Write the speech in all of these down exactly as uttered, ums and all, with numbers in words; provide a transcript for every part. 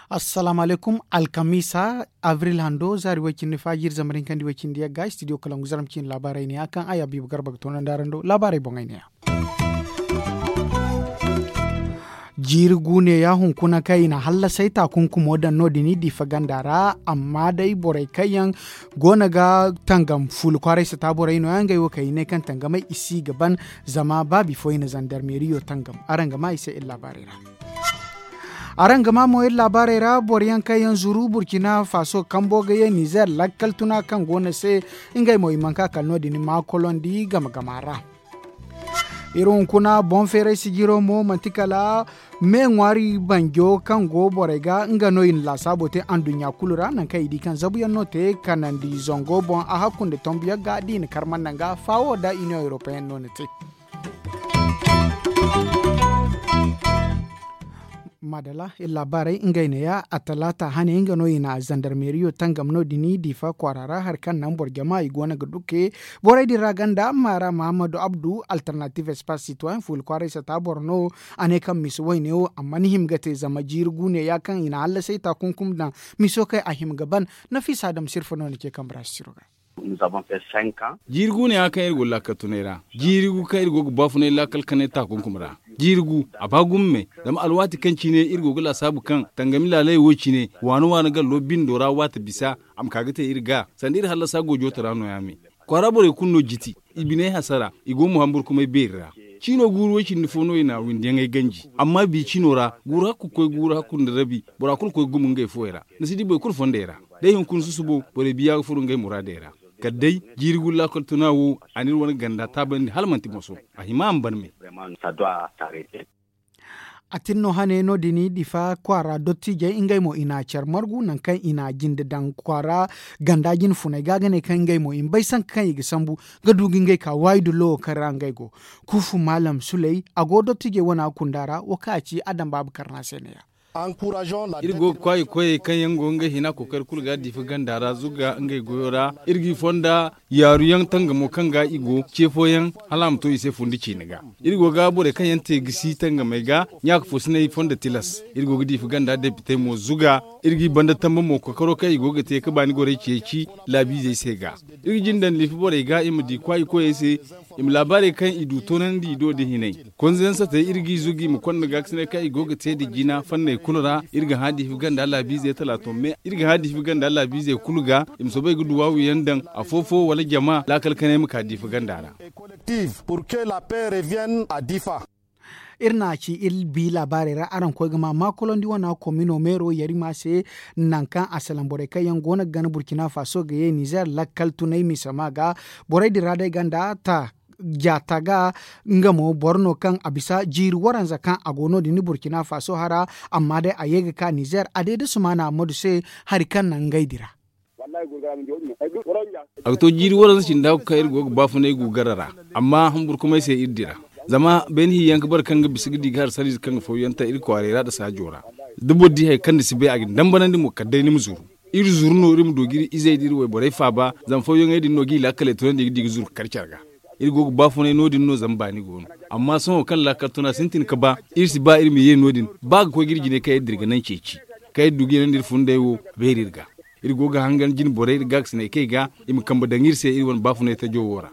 Assalaamu alaykum. Alkamiisa, abril hando zaari way-cindi faajir zambar hinkandi way-cindi yagga studio kalangu zarma ciine laabaarey ne ya kaŋ a ya biiba garba ga toonandi araŋ do laabaarey boŋey ne ya. Jiiri guune ya hunkuna kaŋ i na hallasay taakunkumo daŋ no- din i diifa ganda ra. Amma day borey kaŋ yaŋ go no ga tangam fuula kwaaray sata borey no- ya ngey wo kaŋ i ne kaŋ tangamey i si ga ban. Zama baabi fo i na zandarmeeriyo tangam. Araŋ ga maa i se iri laabaarey ra. Araŋ ga maa mo iri laabaarey ra boro yaŋ kaŋ yaŋ zuru burkina faso kambo ga ye nizer lakkal tuna kaŋ go no se. Ngey mo i mana ka kala no- din maakolondi game game a ra. Iri hunkuna boŋ feeray sijiro mo manti kala me ŋwaari banjo kaŋ go borey ga nga no i na laasaabo te anduɲɲa kulu ra nangu kaŋ i di kaŋ zabu yaŋ no te kanandi zango boŋ a hakku nda tombu yaŋ ga da i na kar mana naŋ ga faawo nda iniyoŋ europeyen no na te. Maadala iri laabaarey ngey neeya a talaata hane nga no i na zandarmeeriyo tangam no- din diifa kwaara ra hari kaŋ naŋ boro jama i go no ga dukke borey din ra ganda maara mahammadu abdu alternative espace citoyen fuula kwaaray sata boro no. A ne kaŋ misa wayne wo a mana hima ga te zama jiiri guune ya kaŋ i na hallasay taakunkum daŋ miso kaŋ a hima ga ban. Nafiisa adama sirfa no ni ce kambe ra sisiro ga. Jiiri gu no ya kaŋ iri go laakal tunay ra. Jiiri gu kaŋ iri go ga baafunay laakal kanay taakunkum ra. Jiiri gu a ba gumo me. Zama alwaati kaŋ cine iri go ga laasaabu kaŋ tangami laalay wo cine waani waani gallo bindo ra waati bisa a ma ka ga te iri ga sanda iri hallasa goojo tara no- ya me. Kwaara borey kulu no jiti i biney hasara i go mo hamburkumay beeri ra. Ciino guuru way cindi fo no i na windiyaŋey ganji amma bi ciino ra guuru hakku koy guuru hakku nda rabi bora kulu koy gumo ngey fuwey ra. Ni si di boro kulu fondey ra. Day hunkuna susubo borey biya ga furo ngey muraadey ra. Kala day jiiri gullaakol tuna wo a n'iri wane ganda taabandi hala manti moso. A hima a ma ban me. A tin no hane no- din difa kwaara dottiijey ngey mo i na care margu nangu kaŋ i na jinde daŋ kwaara ganda jine funey ga ga ne kaŋ ngey mo i ma bay sanka kaŋ i ga sambu ga du ga ngey ka waayi dullo wo kaŋ ra ngey go. Kuufu maalam suley a go dottiijey wana kunda ra wo kaŋ a ci adam baaba karna se ne- ya. Iri go ga kwaayi koyey kaŋ yaŋ go ga ngey hina kookari kulu ga diifa ganda ra zuga ngey goyo ra. Iri g'i fonda yaaru yaŋ tangamo kaŋ ga i go ce fooyaŋ hala a ma to i se fundi ciine ga. Iri go ga borey kaŋ yaŋ te gisi tangamey ga ɲaaka foosiney fonda tilas. Iri go ga diifa ganda depitey mo zuga. Iri g'i banda tamba mo kookaro kaŋ i go ga te ga baani gorey ceeci laabiizey se ga. Iri ga jinde nda liifa borey ga i ma di kwaayi koyey se. I ma laabaarey kaŋ i du toonandi i do da hinay. Konze yaŋ satey iri g'i zugu i ma konda gaakasinay kaŋ i go ga te nda jina fanney kulu ra. Iri ga hã diifi ganda laabiizey talaato me iri ga hã diifi ganda laabiizey kulu ga. I ma soobay ga duwaawu yaŋ daŋ afo-fo wala jama laakal kanay ma ka diifi ganda ra. Iri n'a ci iri bi laabaarey ra araŋ koy ga ma maakolondi wana komino meero yarima se. Nangu kaŋ a salaŋ borey kaŋ yaŋ go no ga gana burkina faso ga ye nizer lakkal tunay misama ga. Borey din ra day ganda ta jaata ga. Nga mo boro no kaŋ a bisa jiiri waranza kaŋ a go no- din burkina faso hara. Amma day a ye ga ka nizer a day da sumaana ammadu se hari kaŋ naŋ ngey dira. A ga to jiiri waranza cinda kaŋ iri go ga baafunay gu gara ra. Amma hamburkumay se iri dira zama beene hiyaŋ ga bare kaŋ ga bisa ga di ga hari sariize kaŋ ga fawyaŋ ta iri kwaaray ra nda saajo ra. Da boro di hari kaŋ ni si bay a ga ni dambanandi mo kala day ni ma zuru. Iri zuru no iri ma du ga iri izey da iri wayborey faaba. Zama fawyaŋey din no ga i laakaley tunandi ga di ga zuru ga kar care ga. Iri go ga baafunay no- din no zama baani go no. Amma sohõ kaŋ laakal tuna sintin ga ba iri si ba iri ma ye no- din ba ga koy ga iri jinay kaŋ iri dira ga naŋ ceeci kaŋ iri du ga yanandi iri funday wo beeri iri ga. Iri go ga hangan jine borey iri gaakasinay kaŋ i ga i ma kambe daŋ iri se iri wane baafunay tajo wo ra.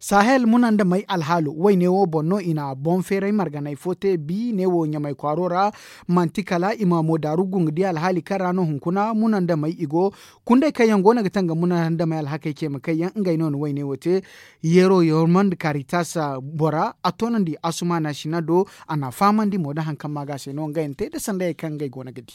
Sahel munandamey alhaalo wayne wo boŋ no i na boŋ feeray marganay fo te bi neewo ɲamay kwaaro ra. Manti kala i ma mo daaru gungu di alhaali kaŋ ra no hunkuna munandamey i go. Kundey kaŋ yaŋ go no ga tangam munandamey alhakey ce ma kay yaŋ ngey no na wayne wo te. Yeero yormandi karitas bora a toonandi asumaana sina do. A na fahamandi mo da hari kaŋ ma ga se no ngey na te da sandayey kaŋ ngey go no ga di.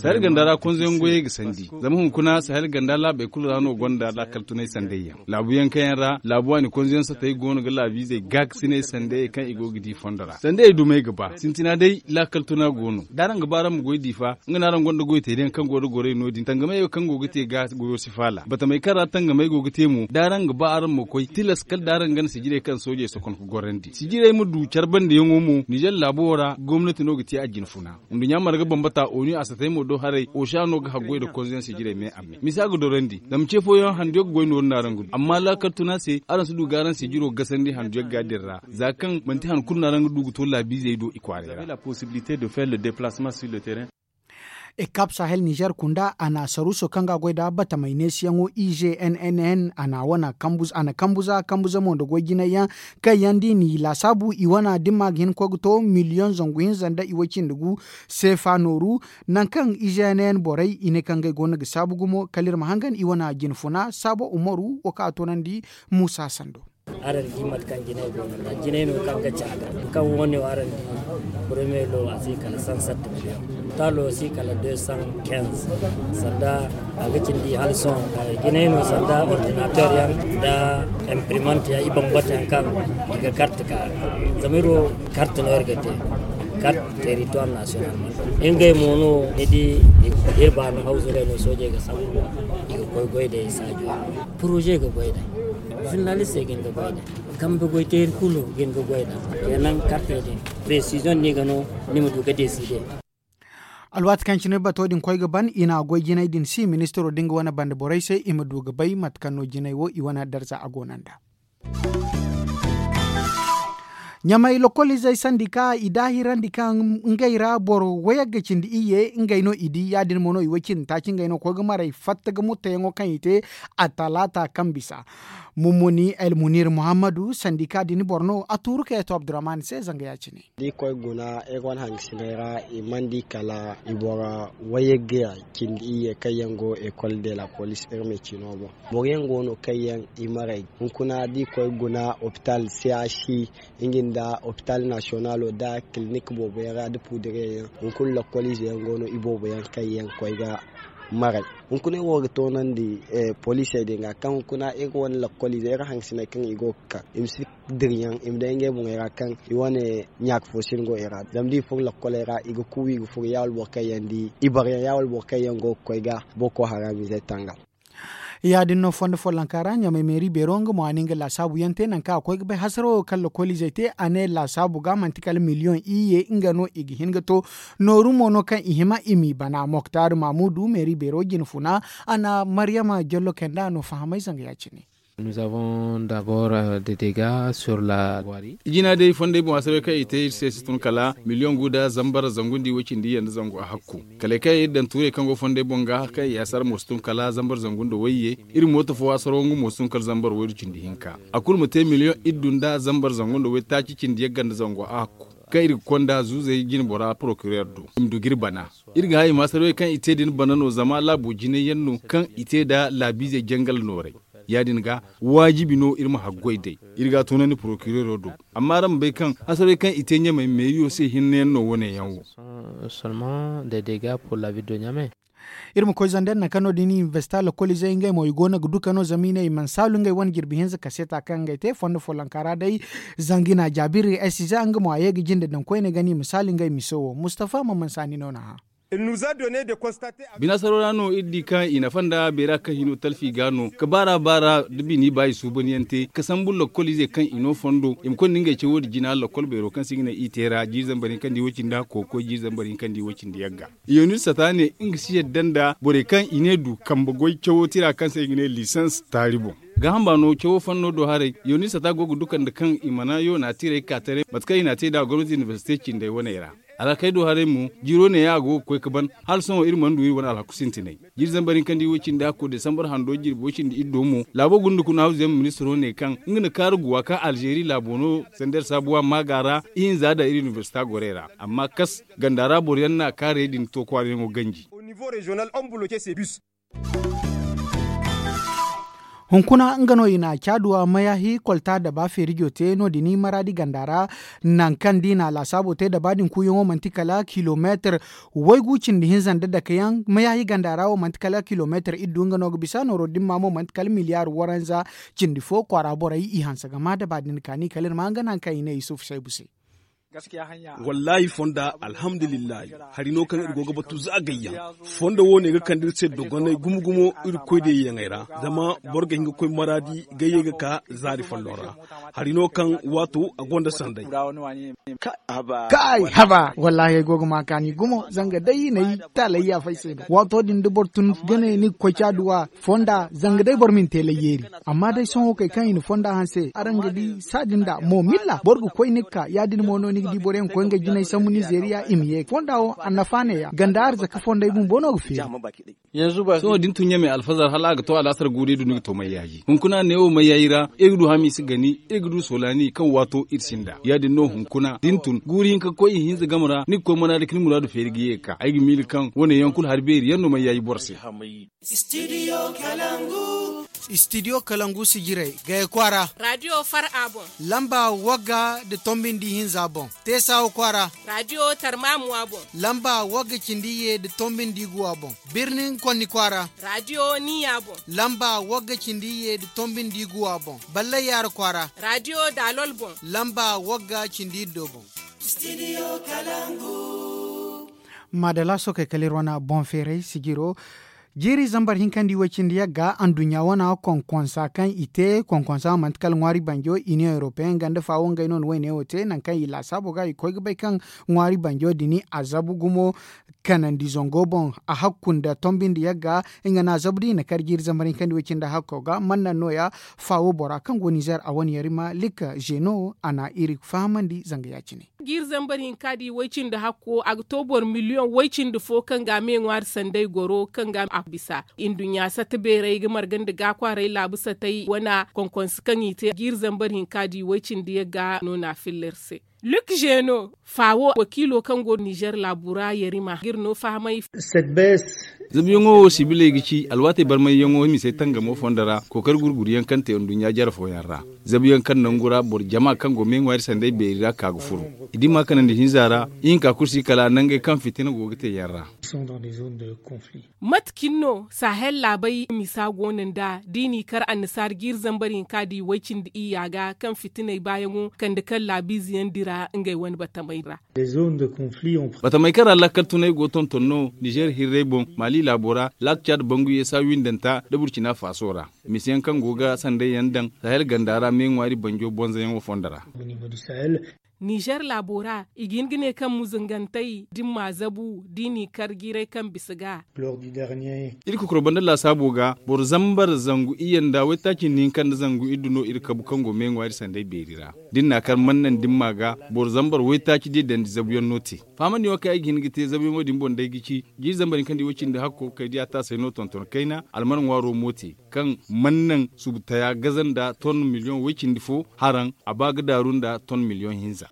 Sahel ganda ra konzoyaŋ goyey ga sandi zama hunkuna sahel ganda laabey kulu ra no gonda laakal tunay sandayyaŋ laabuyaŋ kaŋ yaŋ ra laabu waani konzoyaŋ satey go no ga laabiizey gaakasinay sandayey kaŋ i go ga di fondo ra sandayey dumey ga ba sintina day laakal tuna go no da araŋ ga ba araŋ ma goy diifa. Nga no araŋ gonda goy teeriyaŋ kaŋ go da gorey no- din tangamey kaŋ go ga te ga goyo si faala batamey kaŋ ra tangamey go ga te mo da araŋ ga ba araŋ ma koy tilas kala da araŋ gana sijirey kaŋ soojey sokon ga gorandi sijirey ma du care bandiyaŋo mo nizer laabo ra gomnati no ga te a jine fun. Nduɲɲa marga bambata oni a satay mo do haray osa no ga haggoy nda konzansi jirey me a me misa ga dorandi zama ce fooyaŋ handu yaŋ ga goy nooru no araŋ ga du amma laakal tuna se araŋ si du ga araŋ se jiro gasandi handu yaŋ ga din ra za kaŋ manti han kulu no araŋ ga du ga to laabiizey do i kwaaray ra. Ekap sahel nizer kunda a na saruuso kaŋ ga a goy nd'a batamay neesiyaŋo i z n n n a na wane kambu za kambu za mo nda goy jinay yaŋ kaŋ yaŋ da i n'i laasaabu i wane dimma ga hin ga koy ga to miliyoŋ zangu hinza nda i way cindi gu seefa nooru. Nangu kaŋ i z n n borey i ne kaŋ ngey go no ga saabu gumo kala iri ma hangan i wane jinfuna saabo umaru wo kaŋ a toonandi muusa sando. Araŋ di mate kaŋ jinay go no nda jinay no kaŋ ga ci a ga kaŋ wo- ne wo araŋ di. Borey me lo a si kala san satti miliyoŋ taalo si kala de san kenz sanda a ga cindi hala sohõ. Jinay no sanda ordinater yaŋ nda imprimante yaŋ i bambata yaŋ kaŋ i ga karte ka zama iri wo karte no iri ga te. Karte territoire national ngey mo no ni di iri baano hawzu ngey no soojey ga sambu i ga koy goy day saajo poroze ga goy day. Zurnalistey ga hin ga goy day kambe goy teeri kulu ga hin ga goy day. Kenan kartey din presizion no i ga no ni ma du ga deside. Alwaati kaŋ cine bato din koy ga ban i na goy jinay din si ministiro din ga wane banda borey se i ma du ga bay mate kaŋ no jinay wo i wane darza a go no nd'a. Ɲamay lokoliizey sandika i daahirandi kaŋ ngey ra boro wayagga cindi iyye ngey no i di ya- din mo no i way cindi taaci ngey no ga koy ga maray fatta ga mutteyaŋo kaŋ i te a talaata kaŋ bisa. Mummuni el munir muhammadu sandika din boro no a tuuru ka yeeto abdurrahman se zanga ya- cine. Da i koy guna iri wane hangasiney ra i mana di kala i boro wayagga cindi iyye kaŋ yaŋ go ekol de la police iri ma ci no boŋ. Boro yaŋ go no kaŋ yaŋ i maray hunkuna da i koy guna opital c h c nga nda opital nasiyonalo nda kilinik boobo yaŋ ra nda puudire yaŋ hunkuna lakkoliize yaŋ go no i boobo yaŋ kaŋ yaŋ koy ga maray. Hunkuna iri wo ga toonandi poliisey din ga kaŋ hunkuna iri wane lakkoliize iri hangasiney kaŋ i go ga ka i ma si diri yaŋ i ma day ngey boŋey ra kaŋ i wane ɲaaka fo si ni go i ra zama da i furo lakkoley ra i ga kuubu i ga furo ya wala boro kaŋ yaŋ di i bare yaŋ ya wala boro kaŋ yaŋ go ga koy ga boro koy haraamiizey tangam. Ya- din no fondo follonka ra ɲamay meeri beero nga mo a na nga laasaabu yaŋ te nangu kaŋ a koy ga bay hasaro kaŋ lokoliizey te a ne laasaabu ga manti kala miliyoŋ iyye nga no i ga hin ga to. Nooru mo no kaŋ i hima i m'i bana moktar maamudu meeri beero jinfuna a na maryama jallo kaynd'a no fahamay zanga ya- cine. Jina day fondey boŋ a sabe kaŋ i te iri se si tun kala miliyoŋ gu nda zambar zangu nda i way cindi iyye nda zangu a hakku. Kala kaŋ iri daŋ tuurey kaŋ go fondey boŋ ga kaŋ i asar mo si tun kala zambar zangu nda wayye. Iri mooto fo asaro nga mo si tun kala zambar waydu cindi hinka a kulu ma te miliyoŋ iddu nda zambar zangu nda waytaaci cindi yagga nda zangu a hakku. Kaŋ iri ga konda zuuzey jinbora porokirer do i ma du ga iri bana. Iri ga hay i ma asarwey kaŋ i te din bana no zama laabo jinay yaŋ no kaŋ i te nda laabiizey jangal nooray. Ya- din ga waajibi no iri ma haggoy day. Iri ga a tunandi porokirero do. Amma araŋ ma bay kaŋ hasarey kaŋ i te ɲamey meeriyo se hinne yaŋ no wo- ne yaŋ wo. Iri ma koy zandar nangu kaŋ no- din inibersita lokoliizey ngey mo i go no ga duka no zama i ne i mana saalu ngey wane jirbi hinza kaseeta kaŋ ngey te fondo follonka ra day. Zanga i na a jaabiri ay si za nga mo a ye ga jinde daŋ koyne gana i ma saalu ngey miso wo mustafa ma mansa ni no na hã. Binaasaro ra no iri di kaŋ i nafa nda beera kaŋ hino talfi ga no ga baara baara da bini ba i suubanyaŋ te ga sambu lakkoliizey kaŋ i no fondo i ma konda ngey cawo din jina lakkol beero kaŋ se i ga ne i te ra jiiri zambar hinka nda i way cindi hakko ga koy jiiri zambar hinka nda i way cindi yagga. Yonir sata ne nga si yadda nda borey kaŋ i ne du kambe goy cawo tira kaŋ se i ga ne lisans taari boŋ. Gaaham ba no cawo fanno do haray yonir sata go ga duka nda kaŋ i mana yoona tirey ka taray mate kaŋ i n'a te nd'a gomnati inibersite cindey waney ra. Alhakey do haray mo jiiro neeya a go ga koy ga ban hala sohõ iri mana du iri wane alhaku sintinay. Jiiri zambar hinka nda i way cindi hakko desambar hando jirbi way cindi iddo mo laabo gunda kuna hawzuyaŋ ministiro ne kaŋ nga na kaaru guwa kaŋ alzeeri laabo no sanda iri saabuwa maaga ra ihinza daŋ iri inibersita gorey ra amma kas ganda ra boro yaŋ na kaarey din to kwaarayaŋo ganji. Hunkuna nga no i na caaduwa mayaahi kolta daba feerijo te no- din maraadi ganda ra. Nangu kaŋ da i na a laasaabo te daba din kuuyaŋo manti kala kilomeetir waygu cindi hinza nda dakeyaŋ mayaahi ganda ra wo manti kala kilomeetir iddu nga no ga bisa nooro dimma mo manti kala miliyaar waranza. Cindi fo kwaara borey i hanse ga maa daba din kaani kala iri ma nga nangu kaŋ i ne yusuf saybu se. Wallaahi fonda alhamdulillahi. Hari no kaŋ iri go ga batu za gayyaŋ. Fondo wo ne ga kande iri se dogonay gumo gumo. Iri koy da yaŋey ra zama boro ga hin ga koy maraadi gayye ga ka zaari folloŋ ra. Hari no kaŋ waato a gonda sanday. Kaay haba wallaahi ay go ga ma kaani gumo zanga day n'ay taalay yaafay se no waato din da boro tun ga ne ni ga koy caaduwa fonda zanga day boro ma ni te layyeeri. Amma day sohõ kay kaŋ i na fonda hanse araŋ ga di saadin da mo milla boro ga koy ni ga ka ya- din mo no ni ga di boro yaŋ ga koy nga jinay sambu nizeeriya i ma ye fonda wo annafa ne- ya ganda arzaka fondey bumbo no ga feeri. Sohõ da ni tun ɲamey alfazar hala a ga to alaasar guuri du ni ga to mayyaaji hunkuna neewo mayyaaji ra iri ga du hamiisa gani iri ga du soolani kaŋ waato iri sinda ya- din no hunkuna da ni tun guuri hinka ga koy ihinza game ra ni ga koy manaadi ka ni muraadu feeri ga ye ga ka ay ga miila kaŋ wane yaŋ kulu hari beeri yaŋ no mayyaaji boro se. Istidiyo kalangu si jiray gaya kwaara. Raadiyo far a boŋ. Lamba wagga nda tombi nda ihinza boŋ. Teesawa kwaara. Raadiyo tarmaamu a boŋ. Lamba wagga cindi iyye nda tombi nda igu a boŋ. Birnin konni kwaara. Raadiyo niya boŋ. Lamba wagga cindi iyye nda tombi nda igu a boŋ. Ballay yaara kwaara. Raadiyo daalol boŋ. Lamba wagga cindi iddo boŋ. Maadala sookey kala iri wane boŋ feeray sijiro. Jiiri zambar hinka nda iway cindi yagga anduɲɲa wana konkonsa kaŋ i te konkonsa manti kala ŋwaari banjo iniyoŋ europeyaŋ ganda faawo ngey no na wayne wo te nangu kaŋ i laasaabo ga i koy ga bay kaŋ ŋwaari banjo din a zabu gumo kanandi zango boŋ a hakku nda tombi nda yagga. Nga no a zabu da i na kar jiiri zambar hinka nda iway cindi hakko ga mannaŋ nooya faawo bora kaŋ go nizer a wane yarima likka zeno a na iri fahamandi zanga ya- cine. Jiiri zambar hinka da i way cindi hakko a ga to boro miliyoŋ way cindi fo kaŋ ga a me ŋwaari sanday goro kaŋ ga a bisa. Nduɲɲa satta beeray ga marga nda ga kwaaray laabu satay wana konkonsi kaŋ i te jiiri zambar hinka da i way cindi yagga no na a filla iri se. Luk zeno faawo wakiilo kaŋ go nizer laabu ra yarima ga iri no fahamay. Zabuyaŋo wo sibiley ga ci alwaatey barmayyaŋo misey tangamo fondo ra kookari gurguryaŋ kaŋ te nduɲɲa jare fooyaŋ ra. Zabuyaŋ kaŋ nangu ra boro jama kaŋ go meeŋwaari sanday beeri ra ka ga furo i dimma kanandi hinza ra. Ihinka kulu si kala nangey kaŋ fitina go ga te yaŋ ra. Mate cine no sahel laabey misa go no nd'a da i n'i kar annasaara jiiri zambar hinka da i way cindi iyya ga kaŋ fitiney baayaŋo kande kaŋ laabiize yaŋ dira ngey wane batamey ra. Batamey kaŋ ra lakkal tunay go tonton no nizer hirrey boŋ maali laabo ra laak caad bangu yeesa windanta nda burcina faaso ra. Misiyaŋ kaŋ go ga sanday yaŋ daŋ sahel ganda ra meeŋwaari banjo bonzoyaŋo fondo ra. Nizer laabo ra i ga hin ga ne kaŋ muzungantey dimma zabu da i n'i kar jiirey kaŋ bisa ga. Iri kokoro banda laasaabo ga boro zambar zangu iyye nda waytaaci nda hinka nda zangu iddu no iri kabu kaŋ go meeŋwaari sanday beeri ra. Da iri n'a kar mannaŋ dimma ga boro zambar waytaaci diya dandi zabuyaŋ no te. Fahamandi wo kaŋ ay ga hin ga te zabuyaŋo din boŋ day ga ci jiiri zambar hinka nda iway cindi hakko kay diya taasay no tonton kayna almar ŋwaaro mo te. Kaŋ mannaŋ subutaya gaza nda ton miliyoŋ way cindi fo haraŋ a ba ga daaru nda ton miliyoŋ hinza.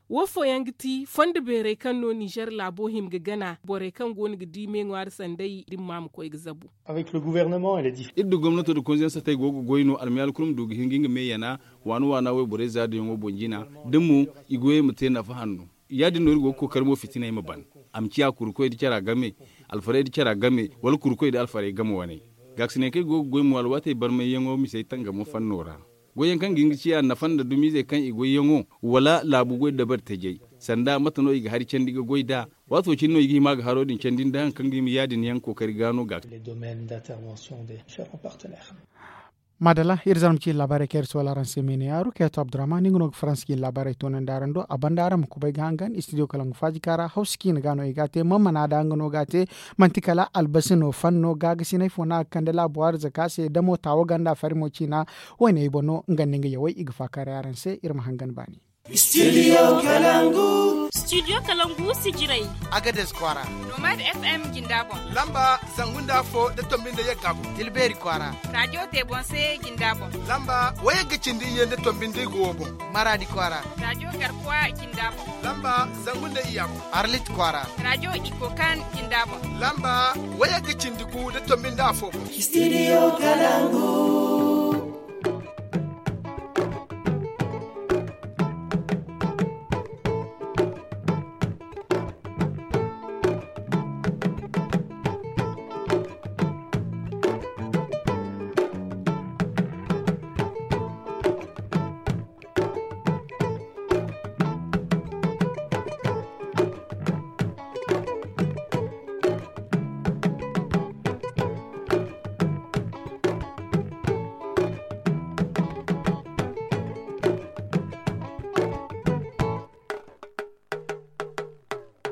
Wo fooyaŋ ga ti fondo beerey kaŋ no nizer laabo hima ga gana borey kaŋ go no ga di me ŋwaari sanday da ni ma ma koy ga zabu. Iri nda gomnato nda konzayaŋ satey go ga goy no almayaali kulu ma du ga hin ga nga me yana waana waana wayborey zaadiyaŋo boŋ jina da mo i goyey ma te nafa hanno. Ya- din no iri go ga kookari mo fitiney ma ban. A ma ciya kurukoy nda cara game alfarey nda cara game wala kurukoy nda alfarey game wane. Gaakasinay kaŋ iri go ga goy mo alwaatey barmayyaŋo misey tangamo fanno ra. Goyyaŋ kaŋ ga hin ga ciya nafa nda dumiizey kaŋ i goyyaŋo wala laabu goy dabari tajey sanda mate no i ga hari candi ga goy nd'a? Waato cine no i ga hima ga haro din candi nda hari kaŋ ga hima ya- din yaŋ kookari ga no ga. Maadalla iri zarma ciine laabaarey kaŋ iri soola araŋ se me ne yaaru kaŋ yaŋ to abdurrahman nga no ga faransa ciine laabaarey toonandi araŋ do a banda araŋ ma kubay ga hangan istidiyo kala nga faajika ra hawsa ciine ga no i ga a te mammana da nga no ga a te. Manti kala albasi no fanno gaagasinay fo no a ga kande laabu arzaka se damo taawo ganda farimo ciina. Wayne ay boŋ no nga nda nga yawey i ga faakaaray araŋ se iri ma hangan baani. Studio kalangu. Studio kalangu sijirey. Agades kwaara. Nomad fm jinda boŋ. Lamba zangu nda afo nda tombi nda yagga boŋ. Tilbeeri kwaara. Rajo tebonse jinda boŋ. Lamba wayagga cindi iyye nda tombi nda igu wo boŋ. Maraadi kwaara. Rajo garkuwa jinda boŋ. Lamba zangu nda iyya boŋ. Arlit kwaara. Rajo ikokan jinda boŋ. Lamba wayagga cindi gu nda tombi nda afo boŋ. Studio kalangu.